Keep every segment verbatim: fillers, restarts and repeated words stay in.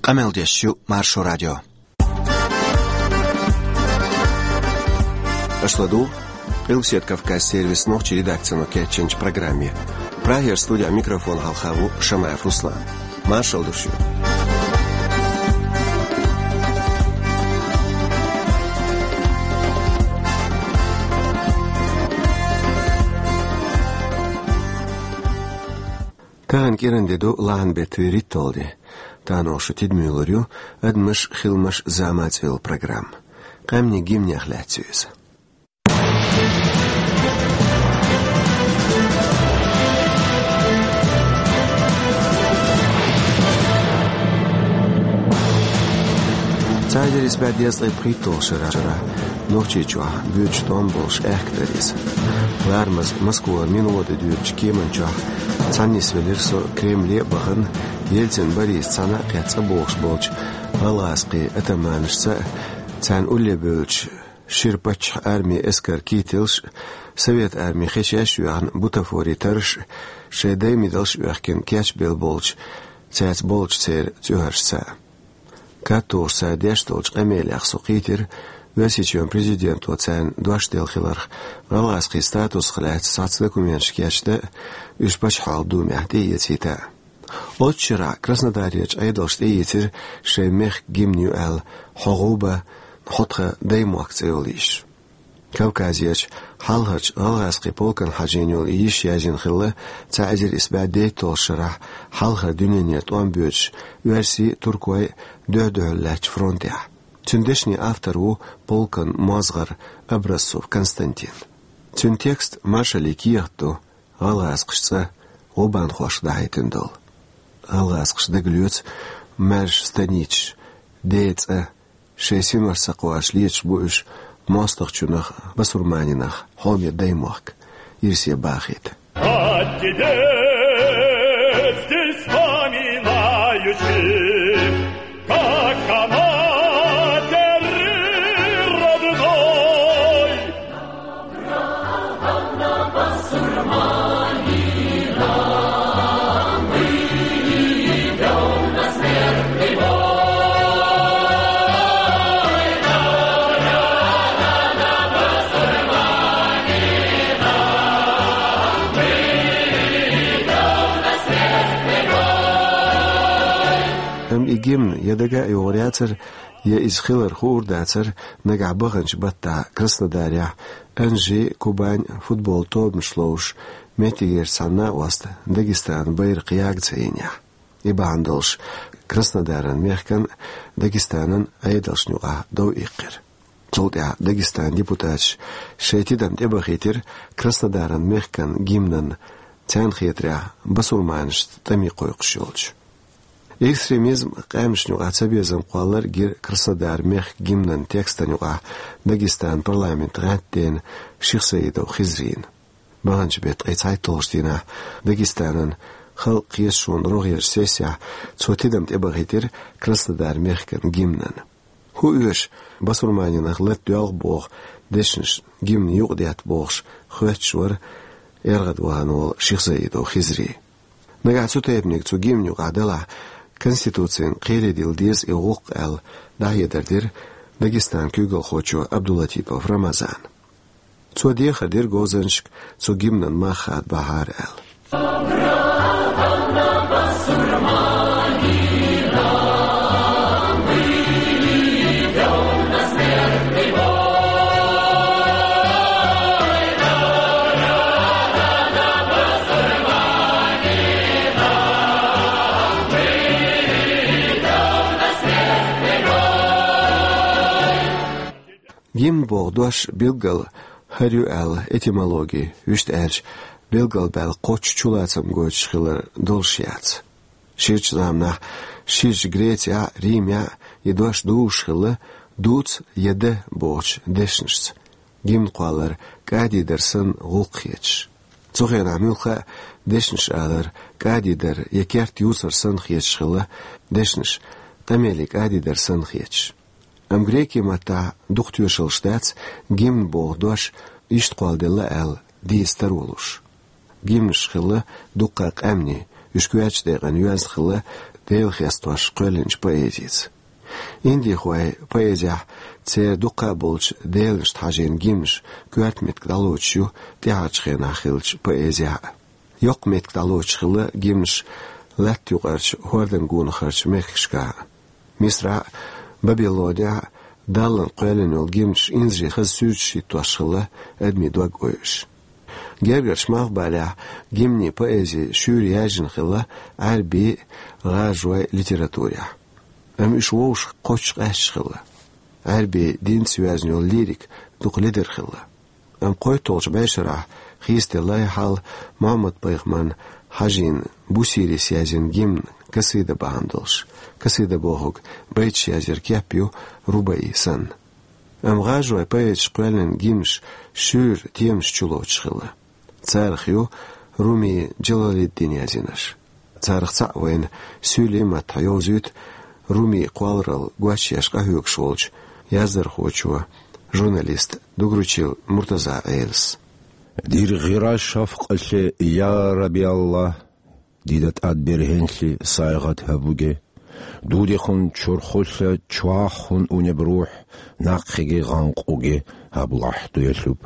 Къамел деш ю Маршо радио. Аша ладугӀу Къилбаседа Кавказ сервисан нохчийн редакцино кечйинчу программе. Прагера студехь микрофон хьалха ву Шамаев Руслан. Маршалла ду шуьга. Тахана кӀиран де ду, лахьан беттан вуьрхӀитталгӀа де. Тахана оха шун тидаме лур ю «Адамаш, хиламаш, зама» цӀе йолу программа. Къаьмнийн гимнех лаьцна ю иза. Цхьа эзар исс бӀе дезткъе пхийтталгӀачу шарахь Нохчийчохь боьдуш тӀом болуш аьхка дара иза. Ларамаза Москвара минвода доьдучу кеман чохь цхьаьна нисвелира со Кремле а бахана, Ельцин Борис цхьаьна а кхетта цӀа богӀуш болчу гӀалгӀазкхийн атаманашца а, царна улле бевллачу шира паччахьан армин эскаран кителаш а, Совет армин хечеш а йоьхна бутафорийн тарраш а, шайн даймидалш а оьхкина кечбелла болчу, цаьрца болчу церан цӀоьхьаршца а. Катталуш цара деш долчу къамелех со кхийтира Оьрсийчоьнан президенто царна дош делла хиларх, гӀалгӀазкхийн статусах лаьцна цхьацца документаш кечдан а, уьш Пачхьалкхан Думехь тӀеэцийта а. Оццу шарахь Краснодарерчу Ӏедалша тӀеийцира шайн мехкан гимн ю аьлла «Хьо гӀуба, хьо тхан Даймохк» цӀе йолу йиш. Кавказерчу хьалхарчу гӀалгӀазкхийн полкана хьажийна йолу и йиш язйина хилла цхьа эзар исс бӀе дейтталгӀачу шарахь хьалхара дуьненара тӀом боьдуш оьрсийн а, туркойн а дуьхь-дуьхьал лаьттачу фронтехь. Цуьнан дешнийн автор ву полкан мозгӀар Образцов Константин. Цуьнан текст маршаллин кехат ду, гӀалгӀазкхаша цӀа гӀубанхошка дӀахӀиттина долу. ГӀалгӀазкхаша дагалоьцу маьрша станицаш, ден цӀа, шайн синошца кхача леташ бу уьш мостагӀчунах, басурманинах хьоме Даймохк, ирсе бахийта. Как о матери родной. Амма и гимн я дага а йогӀур яцара, я иза хилар хуур дацара нагахь баханчу баттахь Краснодарехь Анжи, Кубань футболан тобанаш ловзуш меттигерчу цхьана накъоста Дагестанан байракх яга ца йинехь. И бахьана долуш Краснодаран мехкан а, Дагестанан а Ӏедалшна юкъахь дов иккхира. Цул тӀаьхьа Дагестанан депутаташа шайн тидам тӀебахийтира Краснодаран мехкан гимнан, царна хетарехь, басурманашца тӀаме кхойкхуш йолчу. Экстремизм, къаьмнашна юкъахь цабезам кхоллар гира Краснодаран мехкан гимнан текстана юкъахь Дагестанан парламентан гӀаьттина Шихсаидов Хизрина. Баханчу беттан ткъе цхьайтталгӀачу дийнахь Дагестанан Халкъан Кхеташонан рогӀерчу сессехь цо тидам тӀебахийтира Краснодаран мехкан гимнан. ХӀун оьшу басурманинах лата доьлху боху дешнаш гимнан юкъа детта бохуш хоьттуш вара эргӀад вахана волу Шихсаидов Хизри. Нагахь цу тайпаниг цу гимнан юкъахь делахь, Конституцина кхере дилла деза и гӀуллакх аьлла, дӀахьедар дира Дагестанан куьйгалхочо Абдулатипов Рамазана. Цо дехар дира говзанчашка цу гимнан мах хадабахьара аьлла. Гимн боху дош билггал хӀара ю аьлла этимологи, вуьшта аьлча, билгалбаьлла кхоччуш чулацам гойтуш хилар долуш яц. Ширачу заманахь, ширачу Грецехь а, Римехь а и дош дузуш хилла «дуц» я «да» бохучу дешнашца, гимн кхоллар кӀадий дар санна гӀуллакх хеташ. Цу хенахь муьлхха а дешнаш алар кӀадий дар я керт юцар санна хеташ хилла, дешнаш къамеле кӀадий дар санна хеташ. Амма греки маттахь дукха тоьшаллаш дац гимн боху дош иштта кхолладелла аьлла дийца таро луш. Гимнаш хилла дуккха къаьмнийн, уьш коьртачу декъана йоьзна хилла Дела хестош кхоьллинчу поэзица. Индийхойн поэзехь церан дуккха а болчу деланашна хьажийна гимнаш коьрта меттиг дӀалоцуш ю тӀаьхьарчу хенахь хиллачу поэзехь а. Йоккха меттиг дӀалоцуш хилла гимнаш лаьтта юкъарчу хӀордан гонахарчу мехкашкахь а. Мисрахь а, Бабилонехь а Даллана кхоьллина йолу гимнаш инзаре хаза суьрташ хӀиттош хилла адамийн дог ойуш. Гергарчу Малхбалехь гимнийн поэзи шуьйра яьржина хилла Ӏаьрбийн а, гӀажойн а литературехь. Амма уьш вовшах кхоччуш къаьсташ хилла. Ӏаьрбийн динца йоьзна йолу лирика дукха ледара хилла. Амма кхойтталгӀачу бӀешарахь хийцаделла и хьал Мухьаммад-пайхамарна хьажийна Бусирис язйина гимн, касида бахьана долуш. Касида бохург байташ язъяран кеп ю, рубаи санна. Амма гӀажойн поэташа кхоьллина гимнаш шуьйра темаш чулоцуш хилла. Царах ю Руми Джалалиддин язйинарш. Царах цхьаъ вайна суьйлийн маттахь йовзуьйту Румин кхолларалла гочъеш къахьоьгуш волчу яздархочо, журналисто Дугручил Муртаза Ӏелас. Дира гӀира шафкъалле, я Раби Аллах, дида тӀад берхӀенлъи сайгӀат хӀаввуге, дудехун чурхулле чохь хӀун унеб рухь, наккхиге гӀанкъуге, хӀаб лахь дуьйлуб.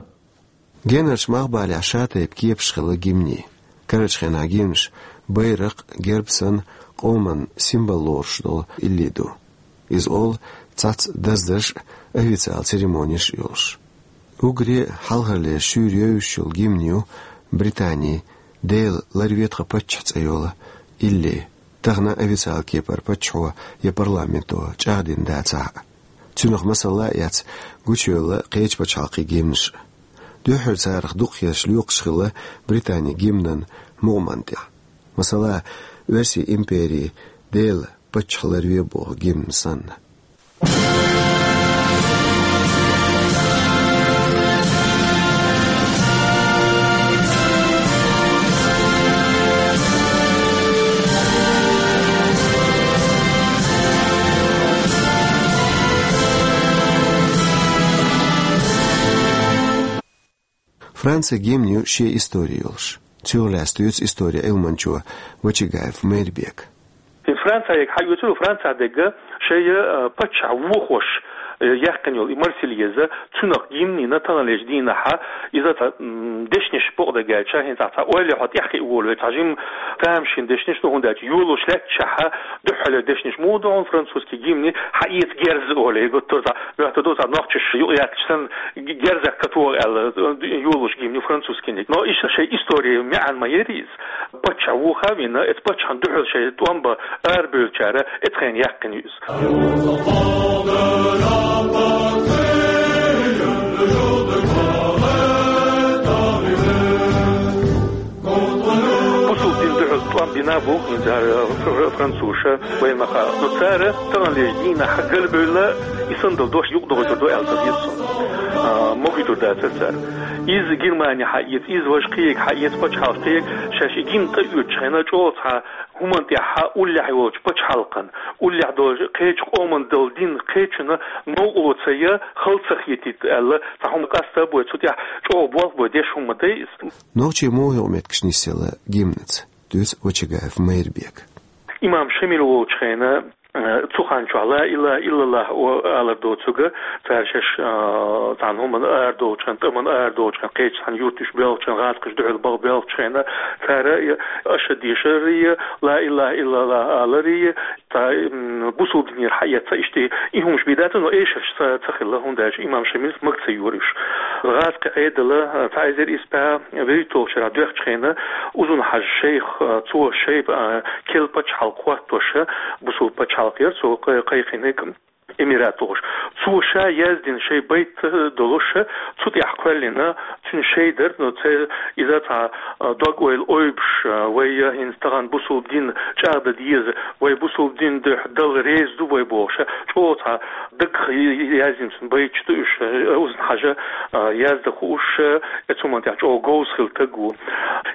Генарчу Малхбалехь шатайпа кепаш хилла гимнийн. Карарчу хенахь гимнаш байракх, герб санна къоман символ лоруш долу илли ду. Иза олу цхьацца даздарш а, официал церемонеш а йолуш. Уггаре а хьалхарлера шуьйра евзаш йолу гимн ю Британин «Дела, ларве тхан паччахь» цӀе йолу илли, тахана официал кепара паччахьо я парламенто чӀагӀдина дацахь а. Цуьнах масала а эцна гучуевлла кхечу пачхьалкхийн гимнаш а. Дуьххьара царах дукхахъерш лоькхуш хилла Британин гимнан мукъаман тӀехь. Масала, Оьрсийн империн «Дела, паччахь ларве» боху гимн санна. Францин гимнан ю шен истори йолуш. Цуьнах лаьцна дуьйцу историн Ӏилманчо Вачагаев Майрбека. И Францехь хьаоьцур ю, Францехь дерг шайн, э, паччахь вохош, э, яьккхина йолу и Марсельеза, цуьнах гимнина таханлерчу дийнахь иза цхьа, м, дешнаш бакъдерг аьлча, хӀинца цхьа ойла хьо тӀехь хиъна волу вай, цхьа жимма тамашийна дешнаш ду, хӀунда аьлча йолош лаьттачехь дуьххьарлера дешнаш муха ду хьуна французский гимни, хьаэца герз олий, гуттар а цхьа моьттур ду, цхьа нохчаша юкъаяьккхича санна, герзах катора аьлла, йолош гимни французскийниг. Но иштта шайн историн маьӀна ма яра иза. Паччахь вохавина, эцу паччахьна дуьхьал шайн тӀом бан арабевллачара эцу хенахь яьккхина ю иза. Бусулба дина дуьхьал тӀом бина бу хӀинца, э, фр-, французаша, вайна ма хаъара. Но цара таханлерчу дийнахь галбевлла, и санна долу дош юкъадохуьйтур ду аьлла ца хета суна. А, могуьйтур дацара цара. Иза Германи хьаэца, иза важа кхиерг хьаэца, пачхьалкх кхиерг, шаьш и гимн тӀеоьцучу хенахь чӀогӀа цхьа хӀуманна тӀехь уллехь йолчу пачхьалкхана, уллехь долчу кхечу къоман долу дин кхечунна новкъарло ца ян, хала ца хетийта аьлла, цхьа хӀума къаста а бой, цу тӀехь чӀогӀа болх бой деш хӀума ма дай иза. Нохчий муха юкъаметтигаш нисъелла гимнаца, дуьйцу Вачагаев Майрбека. Имам Шамил волчу хенахь, э, цу хан чохь ла илаха иллаллах о-, алар доцург, цара шаьш, э, цхьана хӀуманна арадолчу хенахь, тӀамна арадолчу хенахь, кхечу цхьана юьрташ боьлхучу хенахь, гӀазкхаша дуьхьал бахбоьлхучу хенахь, цара я ашхӀаду шарри, я ла илаха иллаллах алари, цхьа, м, бусулба динера хьаэца, иштта и хӀумаш бен дацара, но эшарш ца, ца хилла, хӀунда аьлча имам Шамилс мага ца йора уьш. ГӀазкхийн Ӏедал, цхьа эзар исс бӀе вуьрхӀитталгӀачу шарахь доьхкучу хенахь, Узун-Хьажа шайх, цо шайн, а, керла пачхьалкх хӀоттош, бусулба пачхьалкх яра цо кхай-, кхайкхинарг, эмират олуш. Цо ша яздина шайн байт долуш, цу тӀехь кхоьллина, цуьнан шай дара, но церан иза цхьа, а, дог-ойла ойбуш, а, вай хӀинца тахана бусулба дин чӀагӀдан деза, вай бусулба дин дуьхьа Далла реза ду вай бохуш, чӀогӀа цхьа дагах яздина цуьнан байташ ду уьш, а, Узун-Хьажа, а, яздан хууш, а, эцу хӀуманна тӀехь чӀогӀа говза хилла стаг ву.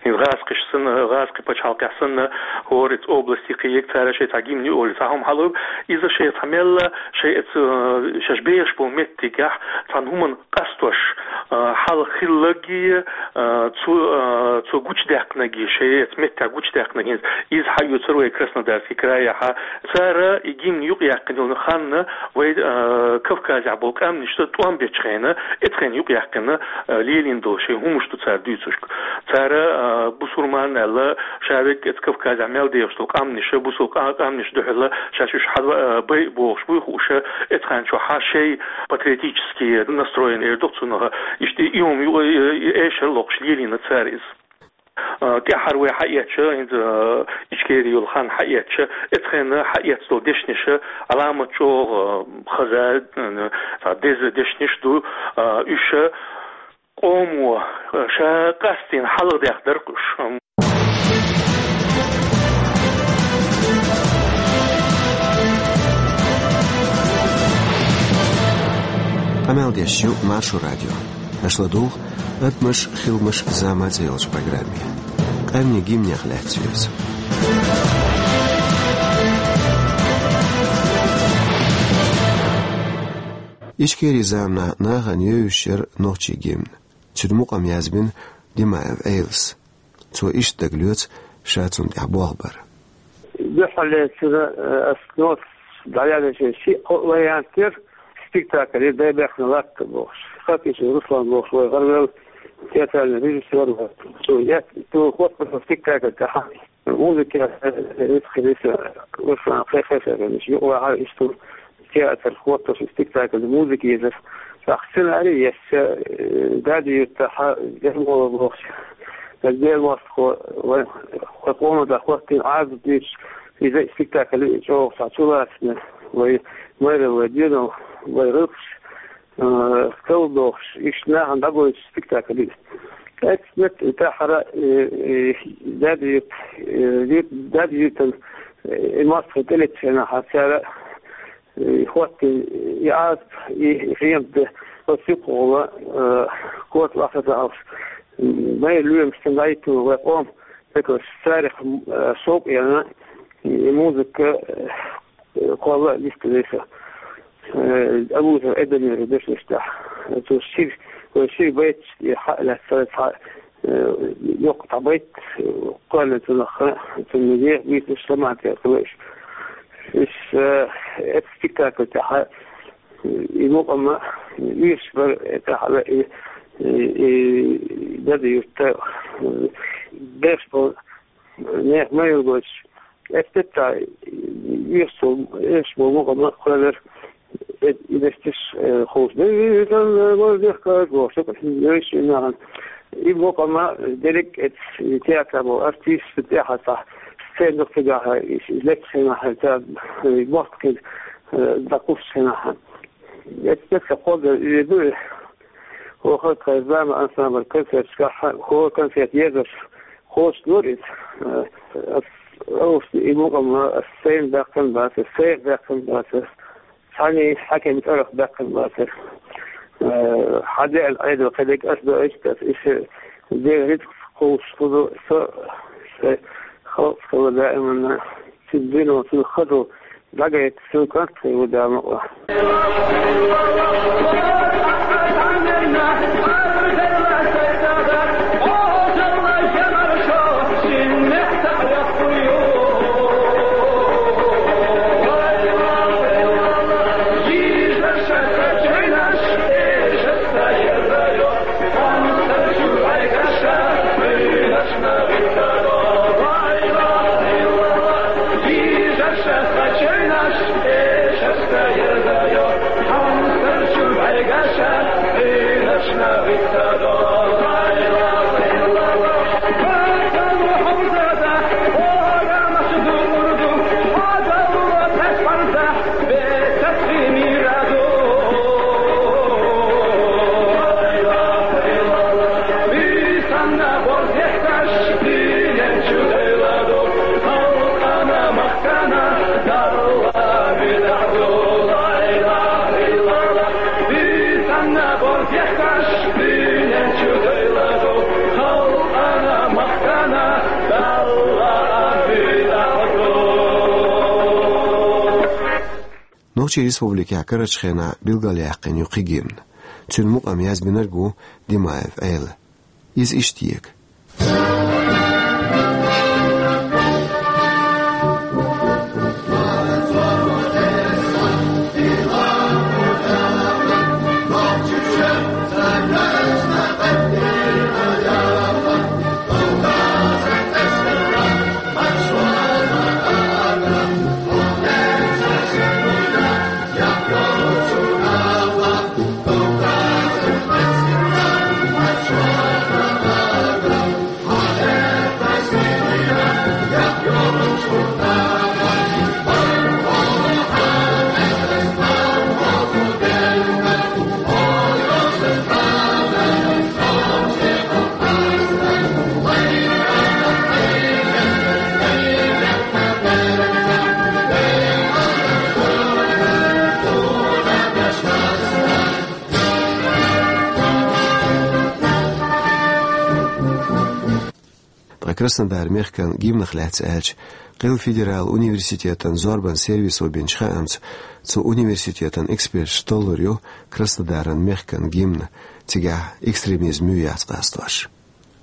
ХӀинца гӀазкхаша санна, гӀазкхийн пачхьалкхехь санна, хӀора эцу области кхиерг, цара шайн цхьа гимни олий, цхьа хӀума хьалаайб, иза шайн цхьа мелла, шайн эцу, а, шаьш бехаш болу меттигехь, цхьана хӀуманна къастош, А, хьалха хилларгья, а, цо, а, цо гучадаьккхинаргья, шоай эца меттехь гучадаьккхинаргья, иза хьаоьцур вай Краснодарский крайехь. Цара и гимн юкъаяьккхина йолу хан вай, а, Кавказехь болу къаьмнашна тӀом бечу хенахь, эцу хенахь юкъаяьккхина, а, лелийна долу шайн хӀуманаш ду цара дуьйцуш. Цара, а, бусурман аьлла, ша верг эцу Кавказехь мел дехаш долу къаьмнаш, бусул къа-, къаьмнаш дуьхьал, шаьш уьш хьан, а, байъа бохуш буй хууш, эцу хенахь чохь шайн патриотически настроенный эр ду цунах, иштта и хӀума ю-, и, и эшар локхуш лелийна цара иза. А, тӀаьххьара вай хьаэцча, хӀинца, а, Ичкери йолу хан хьаэцча, эцу хенахь хьаэцна долу дешнаш Ӏаламат чӀогӀа, а, хаза, а, цхьа деза дешнаш ду, а, уьш къомо, а, ша къастийна хьалхадехдара уьш. Къамел деш ю Маршо радио. Аша ладугӀу «Адамаш, хиламаш, зама» цӀе йолчу программе. Къаьмнийн гимнех лаьцна ю иза. Ичкери заманахь нахана евзаш яра нохчийн гимн. Цуьнан мукъам язбина Димаев Ӏелас. Цо иштта дагалоьцу ша цунна тӀехь болх бар. Дуьххьарлецара, э, ас нота дӀаяьллачу ши-кхо вариант яра, спектакль яра «Дай бехна латта» бохуш. Хатишев Руслан бохуш вай гӀаравелла театральный режиссёр вара. Цо ет-, цо хӀоттаеллачу спектакль тӀехь музыка, э, э, Руслан кхайкхийна, юкъа вахьара иштта театр хӀоттош, спектакль, музыка езар. ТӀаккха сценарий еза, э, Даьда-Юьртахь Ермолов бохуш, Дела мостагӀа, вай, вай къоман тӀехь хӀоттийна Ӏазап дуьйцуш, иза спектакль чӀогӀа цхьа чулацна, вай майралла, вай доьналла, вай гӀиллакхаш, э, кхалдохуш, иштта нахана дӀагойтуш спектакль ю иза. Эццахь тӀаьххьара, э, э, Даьда-Юьрт, э, Юьрт-, Даьда-Юьртан, э, и мостагӀий тӀелеттачу хенахь цара, э, хӀоттийна и Ӏазап, и, и хьемада, оцу юккъехула, э, кота лахаза алш, м, майра лоьмаш цунна дӀахӀиттина вай къоман пекарш, царах, м, э, шовкъ яьлла, и музыка, э, кхолла а листадеш, э, Абузаров Эдамера дешнаш тӀехь. Цо шира, вай шира байташ тӀе хьа а лаьцна цхьа, э, йоккха цхьа байт, э, кхоьллина цунах, цунна еха буьйцуш, самаца кхоьллина. Иза, э, эцу спектакль тӀехь, э, и мукъам а оьшуш бара, э, тӀехь а, и, и, и Даьда-Юьрта, э, беш болу нехан ма йилла гойтуш, эццахь, э, оьшуш болу, оьшуш болу мукъам а кхоьллира, э, и дешнаш, э, хууш. Дийшан, э, вара дехкаш бохуш, йойшинахьан. И мукъам а дерриг а эцу театрехь болу артисташ тӀехь а цхьа сцена дукха цигахь, и, и леттачу хенахь, цара, э, мостагӀий, э, дӀакхуссучу хенахь. Эццахь кхоллар и ду, и хӀокху тхайн «Зама» ансамбль концерташкахь, хӀора концерт езарш кхочушдора иза. Э, ас, ас и мукъам а ас сайна баьккхина бацара, сайх баьккхина бацара, цхьаннен хьаькаман цӀарах баьккхина бацара. Э, хьан деана Ӏедал кхидерг ас доуьйту, ас иштта Делан рицкъаца кхуллуш хир ду со, сан халкъ хилла даиманна, цуьнан дуьне, цуьнан хазалла дӀагайта, цуьнан кӀант хир ву Дала мукъалахь. Нохчийн республикехь карарчу хенахь билгалъяьккхина ю кхин гимн. Цуьнан мукъам язбинарг ву Димаев Ӏела. Иза иштта ега. Ткъа Краснодаран мехкан гимнах лаьцна аьлча, Къилла федералан университетан зорбан сервисо бинчу хаамца, цу университетан эксперташа толлур ю Краснодаран мехкан гимн, цигахь экстремизм ю яц къастош.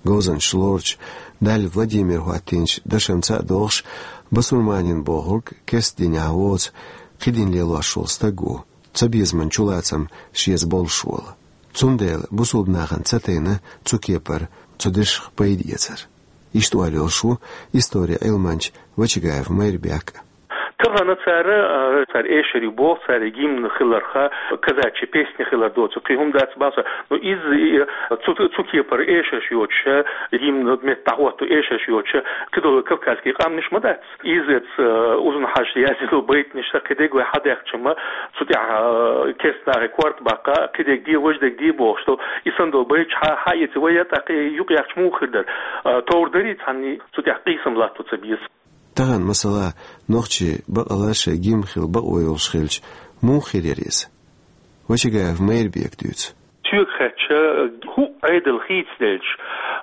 Говзанчаш лоручу Даль Владимира хӀоттийначу дашца а догӀуш, басурманин бохург керста динехь воцу, кхин дин лелош волу стаг ву, цабезаман чулацам шеца болуш волу. Цундела бусулба нахана ца тайна цу кепара, цу дешах пайда эцар. Иштта олуш ву историн Ӏилманча Вачагаев Майрбек. Тахана цара, а, цара эшар ю боху, цара гимн хиларх, казачьи песни хилар доцу, кхин хӀума дац боху. Ну, иза, и, цу, цу кепара эшарш йоцуш, гимн метта дӀахӀотто эшарш йоцуш, кхидолу кавказский къаьмнаш ма дац. Иза эц, а, Узун-Хьаьжас яздина байтанаш сан кхидерг вай хьадаьккхича ма, цу тӀехь, а, керста нахе корта баккха, кхидерг де, важа дерг де бохуш долу, и санна долу байташ хьа-, хьаэций вай, я тӀаккха юкъаяьхча муха хир дара? А, товр дарий цхьанний цу тӀехь къийсам латто ца беза? Тахана, масала, нохчий бакъалла шайн гимн хила бакъо йолуш хилча, муха хир яра иза? Вачагаев Майрбека дуьйцу. Соьга хаьттича, хӀуъа Ӏедал хийцаделча,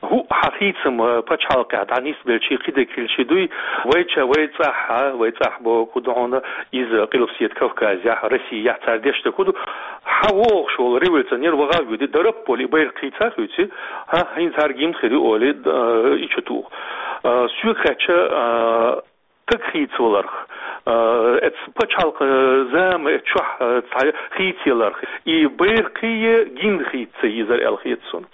хӀуъа хьан хийцам пачхьалкхехь дӀанисбелчий, кхидерг хилчий дуй, вайча, вай цӀахь, вай цӀахь бохург хӀун ду хьуна, иза Къилбаседа Кавказехь, Россияхь цара деш дерг хӀун ду, хьан вогӀуш волу революционер ваха а воьду, дарап а болу, и байракх хийца а хийций, хӀа, хӀинца хӀара гимн хир ю олий, д-, и чу туху. А, соьга хаьттича, а, стаг хийцаваларх, а, эц пачхьалкхан зама, эц чохь, а, цхьа хийцаяларх, и байракхий гимн хийца ца езара аьлла хета суна.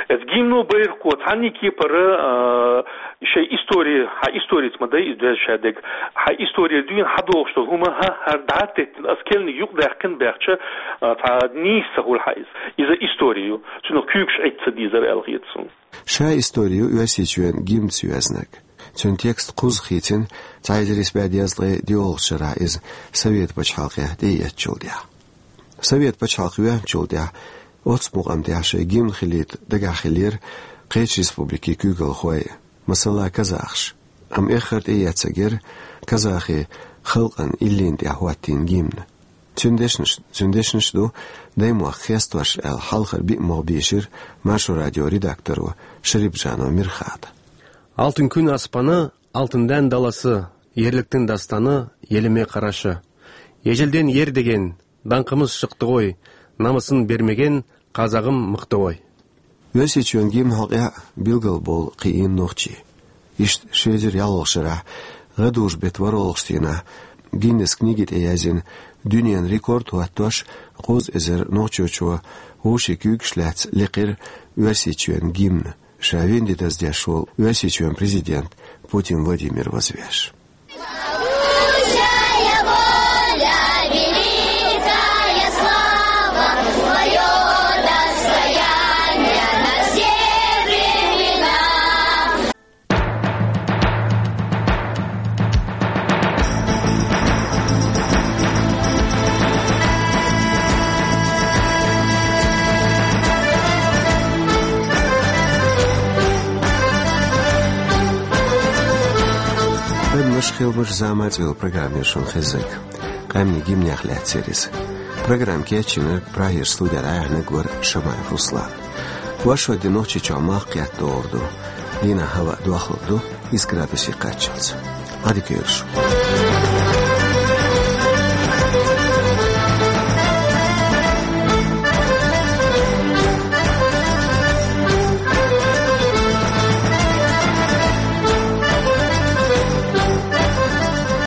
Эц гимно, байракхо цхьанний кепара, а, шайн истори, хьан историца ма дай иза доьзна шадерг, хьан исторера дуьйна хьан догӀуш долу хӀума, хӀа, хӀара дӀа а теттина, ас керланиг юкъадаьккхина баьхча, а, цхьа нийса ца хуьлу хьан иза. Иза истори ю, цунах куьйгаш Ӏитта ца дезара аьлла хета суна. Ша истори ю Оьрсийчоьнан гимнца йоьзнарг. Цуьнан текст кхузза хийцина, цхьа эзар исс бӀе дезткъе диъолгӀачу шарахь иза Совет пачхьалкхехь тӀеэцначул тӀаьхьа. Совет пачхьалкх йоьхначул тӀаьхьа оццу мукъам тӀехь шайн гимн хилийта дагахь хиллера кхечу республикийн куьйгалхой, масала, казахаш. Амма эххар тӀеэцнарг яра казахи халкъан иллина тӀехь хӀоттийна гимн. Цуьнан дешнаш, цуьнан дешнаш ду даймохк хестош аьлла, хьалхара биъ могӀа бийшира Маршо радион редакторо Шарипжанов Мирхата. Алтын күн аспаны, алтын дән даласы, ерліктің дастаны, еліме қарашы. Ежелден ер деген даңқымыз шықты ғой, намысын бермеген қазағым мықты ғой. Оьрсийчоьнан гимнан хьокъехь билгал болу кхиийна нохчий. Иштта ши эзар ялхолгӀачу шарахь, гӀадужу беттан ворхӀалгӀачу дийнахь, Гиннесс книги тӀе яздина дуьненан рекорд хӀоттош, кхузза эзар нохчочо вовшийн куьйгаш лаьцна лекхира Оьрсийчоьнан гимн, ша вина де даздеш волу Оьрсийчоьнан президент Путин Владимир вазвеш. Адамаш, хиламаш, зама цӀе йолу программа яра шуна хезнарг. Къаьмнийн гимнех лаьцна яра иза. Программа кечйинарг, Прагера студера дӀаяьхьнарг вара Шамаев Руслан. Вайшимма де Нохчийчохь малх кхетта догӀур ду. Дийнахь хӀаваъ дохлур ду исс градусе кхаччалц. Ӏадика йойла шун.